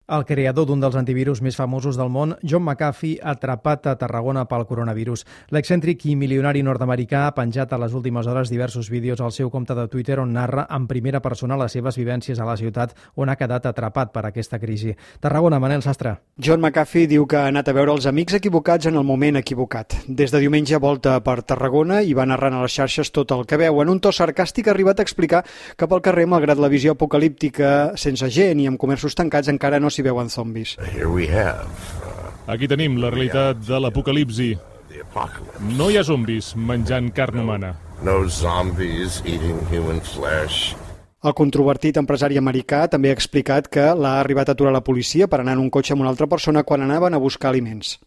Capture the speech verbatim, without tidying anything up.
El creador d'un dels antivirus més famosos del món, John McAfee, atrapat a Tarragona pel coronavirus. L'excèntric i milionari nord-americà ha penjat a les últimes hores diversos vídeos al seu compte de Twitter on narra en primera persona les seves vivències a la ciutat on ha quedat atrapat per aquesta crisi. Tarragona, Manel Sastre. John McAfee diu que ha anat a veure els amics equivocats en el moment equivocat. Des de diumenge volta per Tarragona i va narrant a les xarxes tot el que veu. En un to sarcàstic ha arribat a explicar que pel carrer, malgrat la visió apocalíptica sense gent i amb comerços tancats, encara no s'hi veuen zombis. Aquí tenim la realitat de l'apocalipsi. No hi ha zombis menjant carn humana. No zombies eating human flesh. El controvertit empresari americà també ha explicat que l'ha arribat a aturar la policia per anar en un cotxe amb una altra persona quan anaven a buscar aliments.